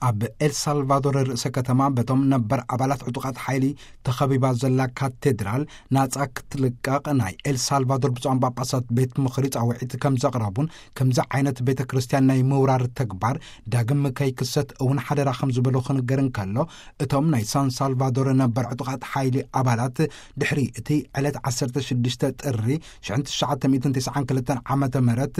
ኣብ ኤልሳልቫዶር ርእሰ ከተማ በቶም ነበር ኣባላት ዕጡቓት ሓይሊ ተኸቢባ ዘላ ካቴድራል ናጻ ክትልቀቕ ናይ ኤልሳልቫዶር ብፁዓን ጳጳሳት ቤት ምኽሪ ጻውዒት ከም ዘቕረቡን፣ ከምዚ ዓይነት ቤተ ክርስቲያን ናይ ምውራር ተግባር ዳግም ከይክሰት እውን ሓደራ ከም ዝበሉ ክንገር እንከሎ፣ እቶም ናይ ሳን ሳልቫዶር ነበር ዕጡቓት ሓይሊ ኣባላት ድሕሪ እቲ ዕለት ዓሰርተ ሽዱሽተ ጥሪ ሽሕን ትሽዓተ ሚእትን ተስዓን ክልተን ዓመተ ምህረት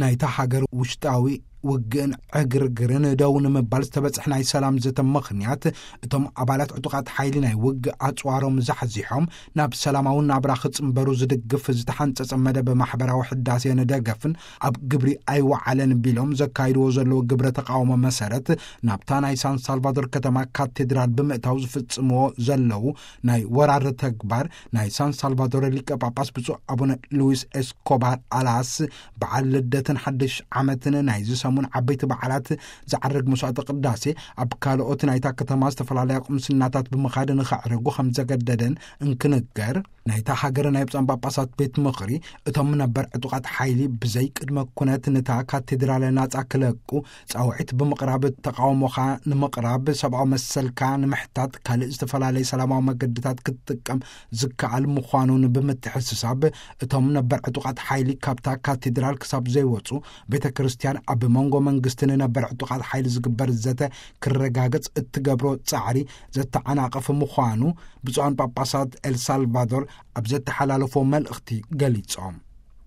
ናይታ ሃገር ውሽጣዊ ውግእን ዕግርግርን ደው ንምባል ዝተበጽሐ ናይ ሰላም ዘተ ምኽንያት፣ እቶም ኣባላት ዕጡቓት ሓይሊ ናይ ውግእ ኣጽዋሮም ዛሕዚሖም ናብ ሰላማዊ ናብራ ክጽንበሩ ዝድግፍ ዝተሓንጸጸ መደብ ማሕበራዊ ሕዳሴ ንደገፍን ኣብ ግብሪ ኣይወዓለን ቢሎም ዘካይድዎ ዘለዉ ግብረ ተቃውሞ መሰረት፣ ናብታ ናይ ሳን ሳልቫዶር ከተማ ካቴድራል ብምእታው ዝፍጽምዎ ዘለዉ ናይ ወራር ተግባር፣ ናይ ሳን ሳልቫዶር ሊቀ ጳጳስ ብፁዕ ኣቡነ ሉዊስ ኤስኮባር ኣላስ በዓል ልደትን ሓድሽ ዓመትን ናይዚ ሰሙን ዓበይቲ በዓላት ዝዓርግ መስዋዕተ ቅዳሴ ኣብ ካልኦት ናይታ ከተማ ዝተፈላለያ ቁምስናታት ብምኻድ ንኸዕርጉ ከም ዘገደደን እንክንገር፣ ናይታ ሃገር ናይ ብፁዓን ጳጳሳት ቤት ምኽሪ፣ እቶም ነበር ዕጡቓት ሓይሊ ብዘይ ቅድመ ኩነት ነታ ካቴድራል ናጻ ክለቁ ጻውዒት ብምቕራብ፣ ተቃውሞኻ ንምቕራብ፣ ሰብኣዊ መሰልካ ንምሕታት፣ ካልእ ዝተፈላለየ ሰላማዊ መገድታት ክትጥቀም ዝከኣል ምዃኑን ብምትሕስሳብ፣ እቶም ነበር ዕጡቓት ሓይሊ ካብታ ካቴድራል ክሳብ ዘይወጹ፣ ቤተ ክርስቲያን ኣብ መንጎ መንግስትን ነበር ዕጡቓት ሓይሊ ዝግበር ዘተ ክረጋገጽ እትገብሮ ጻዕሪ ዘተዓናቕፍ ምዃኑ ብፁዓን ጳጳሳት ኤልሳልቫዶር ኣብ ዘተሓላለፎ መልእኽቲ ገሊጾም።